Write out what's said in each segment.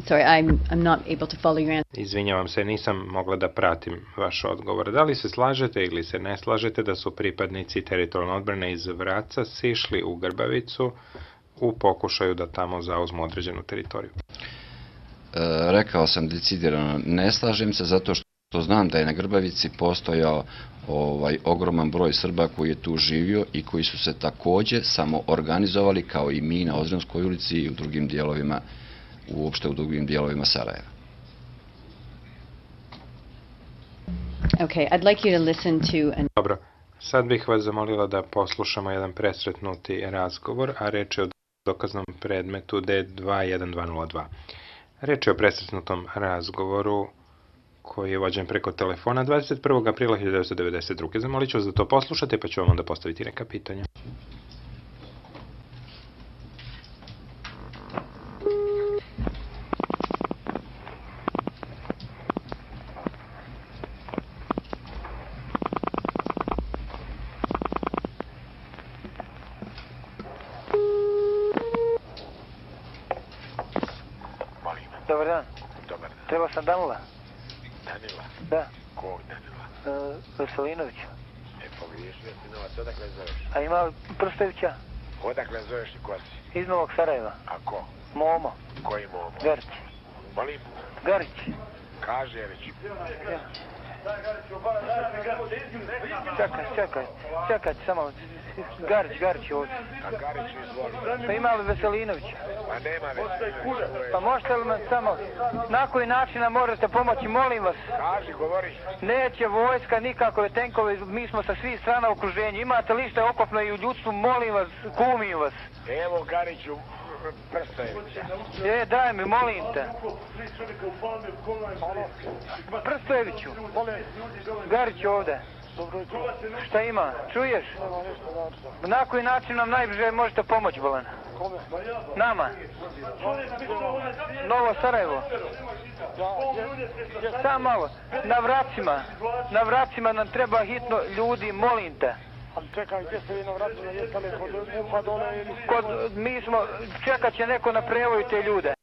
Sorry, I'm not able to follow your answer. Izvinjavam se, nisam mogla da pratim vaš odgovor. Da li se slažete ili se ne slažete da su pripadnici teritorijalne odbrane iz Vraca sišli u Grbavicu u pokušaju da tamo zauzmu određenu teritoriju? Rekao sam decidirano, ne slažem se zato što znam da je na Grbavici postojao ogroman broj Srba koji je tu živio i koji su se takođe samo organizovali kao i mi na Ozrenskoj ulici i u drugim dijelovima, uopšte u drugim dijelovima Sarajeva. Okay, I'd like you to listen to Dobro, sad bih vas zamolila da poslušamo jedan presretnuti razgovor, a reč je o dokaznom predmetu D21202. Reč je o presretnutom razgovoru koji je vođen preko telefona 21. aprila 1992. Zamolit ću vas da to poslušate, pa ću vam onda postaviti neka pitanja. Dobar dan. Dobar dan. Treba sam Danila. Danila? Da. Kog Danila? Veselinovića. Pogriješio si novac, odakle zoveš? A ima Prstovića? Odakle zoveš i ko si? Iz Novog Sarajeva. A ko? Momo. Koji Momo? Garić. Molim? Garić. Kaži je već. Ja. Čekaj, samo. Garić ovdje. A Garić izvoli. Pa ima li Veselinovića? Pa nema Veselinovića. Pa možete li me samo, na koji način nam možete pomoći, molim vas? Kaži, govori. Neće vojska, nikakove tenkove, mi smo sa svih strana u okruženju. Imate li što okopno i u ljudstvu, molim vas, kumim vas. Evo Gariću Prstojevića. Daj mi, molim te. Prstojeviću. Garić ovde. Šta ima? Čuješ? Na koji način nam najbliže možete pomoći, Bolan? Nama. Novo Sarajevo. Samo malo. Na vracima nam treba hitno ljudi, molim te. Ali čekaj, gdje ste vi na vratima, jeste li kod MUP-a dole ili... Mi smo, čekat će neko na prevoju te ljude.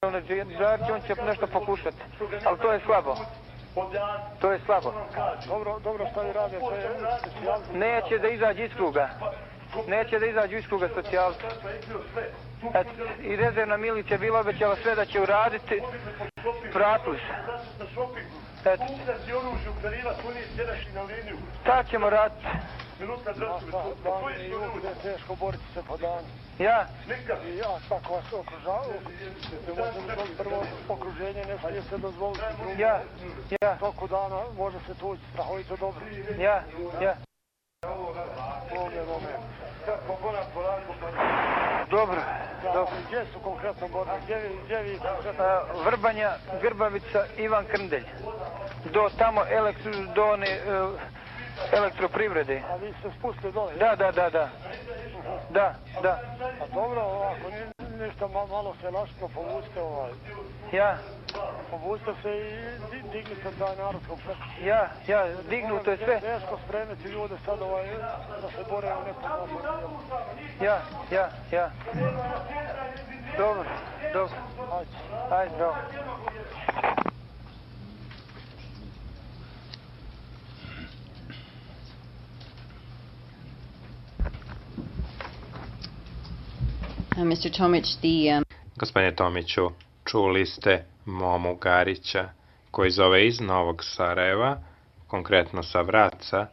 On će nešto pokušati, ali to je slabo. To je slabo. Dobro, šta vi rade, što je specijalci? Neće da izađe iz kruga. Neće da izađu iz kruga socijalci. I rezervna milicija bila obećala sve da će uraditi. Vratili se. Šta ćemo raditi? Teško boriti se po danu. Ja? I ja, tako vas okružavaju. Prvo okruženje ne smije se dozvoliti. Ja. Toku dana može se tući strahovito dobro. Ja. Dobro. Gdje su konkretno borbe? Gdje vi konkretno? Vrbanja, Grbavica, Ivan Krndelj. Do tamo elektroprivrede. A vi ste spustili dole? Da. A dobro, ovako, ništa malo se lašno povučite Ja. Povučite se i dignite taj narodskom preko. Ja, dignuto je sve. Teško spremiti ljude sad da se bore u nekom djelu. Ja. Dobro. Ajde, dobro. Mr. Tomić, Gospodine Tomiću, čuli ste Momu Garića, koji zove iz Novog Sarajeva, konkretno sa Vraca,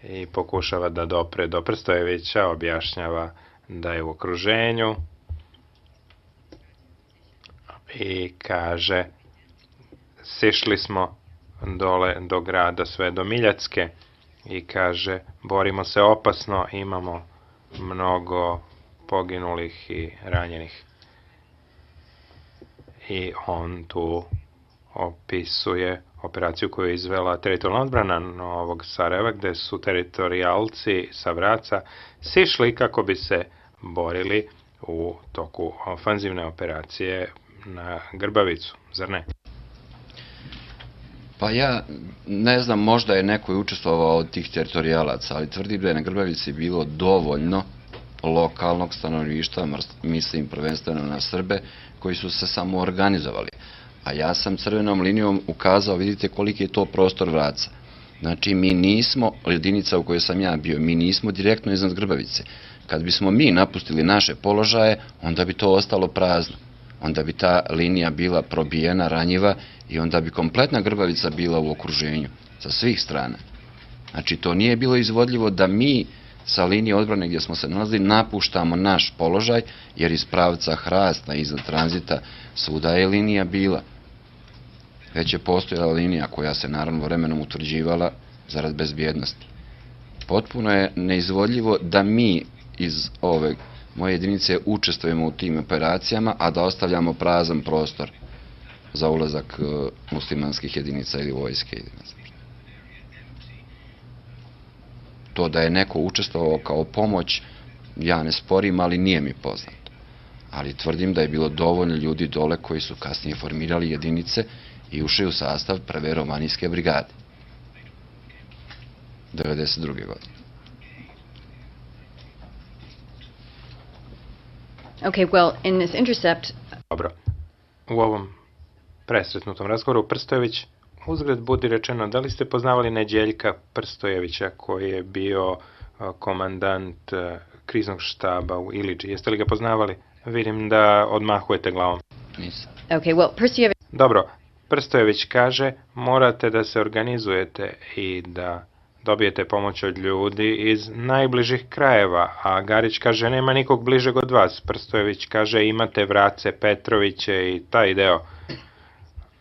i pokušava da dopre do Prstojevića, objašnjava da je u okruženju i kaže: sišli smo dole do grada sve do Miljacke i kaže: borimo se opasno, imamo mnogo poginulih i ranjenih. I on tu opisuje operaciju koju je izvela teritorijalna odbrana Novog Sarajeva, gde su teritorijalci sa Vraca sišli kako bi se borili u toku ofanzivne operacije na Grbavicu, zar ne? Pa ja ne znam, možda je neko učestvovao od tih teritorijalaca, ali tvrdim da je na Grbavici bilo dovoljno lokalnog stanovništva, mislim prvenstveno na Srbe, koji su se samo organizovali. A ja sam crvenom linijom ukazao, vidite koliki je to prostor Vraca. Znači, mi nismo, jedinica u kojoj sam ja bio, mi nismo direktno iznad Grbavice. Kad bismo mi napustili naše položaje, onda bi to ostalo prazno. Onda bi ta linija bila probijena, ranjiva i onda bi kompletna Grbavica bila u okruženju sa svih strana. Znači, to nije bilo izvodljivo da mi sa linije odbrane gdje smo se nalazili napuštamo naš položaj, jer iz pravca Hrasta, iznad tranzita, svuda je linija bila. Već je postojala linija koja se naravno vremenom utvrđivala zarad bezbjednosti. Potpuno je neizvodljivo da mi iz ove moje jedinice učestvujemo u tim operacijama, a da ostavljamo prazan prostor za ulazak muslimanskih jedinica ili vojske jedinica. To da je neko učestvovao kao pomoć, ja ne sporim, ali nije mi poznato. Ali tvrdim da je bilo dovoljno ljudi dole koji su kasnije formirali jedinice i ušli u sastav prve romanijske brigade. 1992. godine. Okay, well, in this intercept, Dobro. U ovom presretnutom razgovoru Prstojević, uzgred budi rečeno, da li ste poznavali Neđeljka Prstojevića koji je bio komandant kriznog štaba u Iliđi? Jeste li ga poznavali? Vidim da odmahujete glavom. Nisam. okay, well, Prstojević, Dobro, Prstojević kaže morate da se organizujete i da dobijete pomoć od ljudi iz najbližih krajeva, a Garić kaže nema nikog bližeg od vas. Prstojević kaže imate Vrace, Petroviće i taj deo.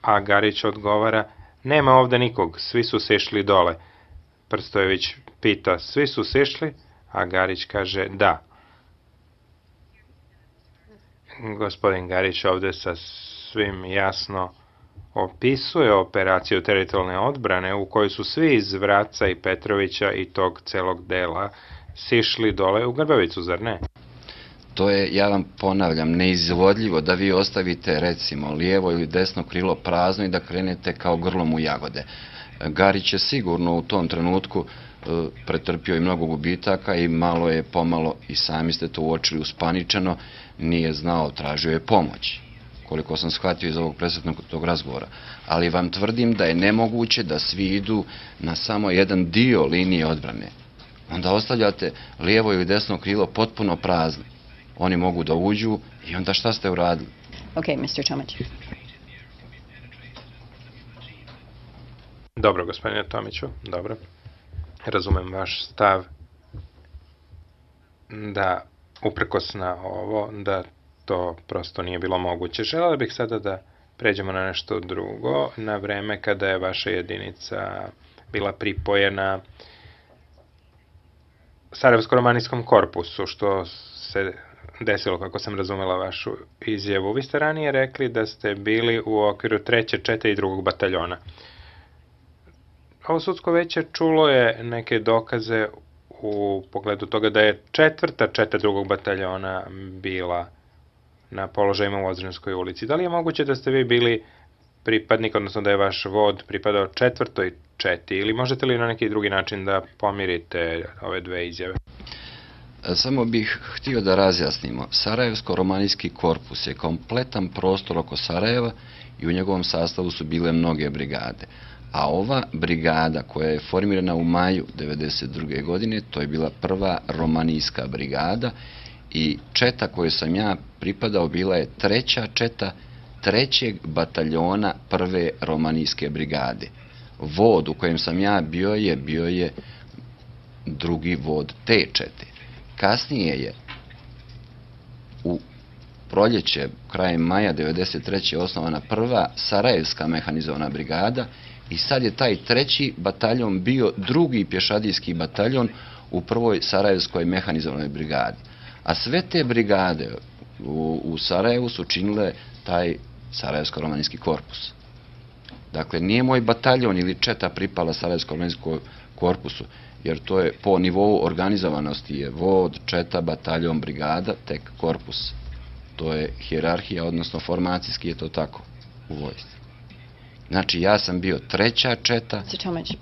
A Garić odgovara nema ovde nikog, svi su sešli dole. Prstojević pita svi su sešli, a Garić kaže da. Gospodin Garić ovde sa svim jasno opisuje operaciju teritorijalne odbrane u kojoj su svi iz Vraca i Petrovića i tog celog dela sišli dole u Grbavicu, zar ne? To je, ja vam ponavljam, neizvodljivo da vi ostavite recimo lijevo ili desno krilo prazno i da krenete kao grlom u jagode. Garić je sigurno u tom trenutku pretrpio i mnogo gubitaka i malo je pomalo, i sami ste to uočili, uspaničeno, nije znao, tražio je pomoć, koliko sam shvatio iz ovog presretnog tog razgovora. Ali vam tvrdim da je nemoguće da svi idu na samo jedan dio linije odbrane. Onda ostavljate lijevo ili desno krilo potpuno prazno. Oni mogu da uđu i onda šta ste uradili? okay, Mr. Tomić. Dobro, gospodine Tomiću, dobro. Razumem vaš stav da, uprkos na ovo, da to prosto nije bilo moguće. Želeo bih sada da pređemo na nešto drugo, na vreme kada je vaša jedinica bila pripojena Sarajevsko-romanijskom korpusu, što se desilo, kako sam razumela vašu izjavu. Vi ste ranije rekli da ste bili u okviru 3., 4. i 2. bataljona. Ovo sudsko veće čulo je neke dokaze u pogledu toga da je 4. četa 2. bataljona bila na položajima u Ozrenskoj ulici. Da li je moguće da ste vi bili pripadnik, odnosno da je vaš vod pripadao 4. četi, ili možete li na neki drugi način da pomirite ove dve izjave? Samo bih htio da razjasnimo. Sarajevsko-romanijski korpus je kompletan prostor oko Sarajeva i u njegovom sastavu su bile mnoge brigade. A ova brigada koja je formirana u maju 1992. godine, to je bila prva romanijska brigada i četa koju sam ja pripadao bila je 3. četa 3. bataljona prve romanijske brigade. Vod u kojem sam ja bio je drugi vod te čete. Kasnije je u proljeće, krajem maja 1993. osnovana prva Sarajevska mehanizovana brigada i sad je taj 3. bataljon bio drugi pješadijski bataljon u prvoj Sarajevskoj mehanizovanoj brigadi. A sve te brigade u Sarajevu su činile taj Sarajevsko-romanijski korpus. Dakle, nije moj bataljon ili četa pripala Sarajevsko-romanijskom korpusu, jer to je po nivou organizovanosti je vod, četa, bataljon, brigada, tek korpus. To je hijerarhija, odnosno formacijski je to tako u vojsci. Znači, ja sam bio 3. četa, Mr. Tomić.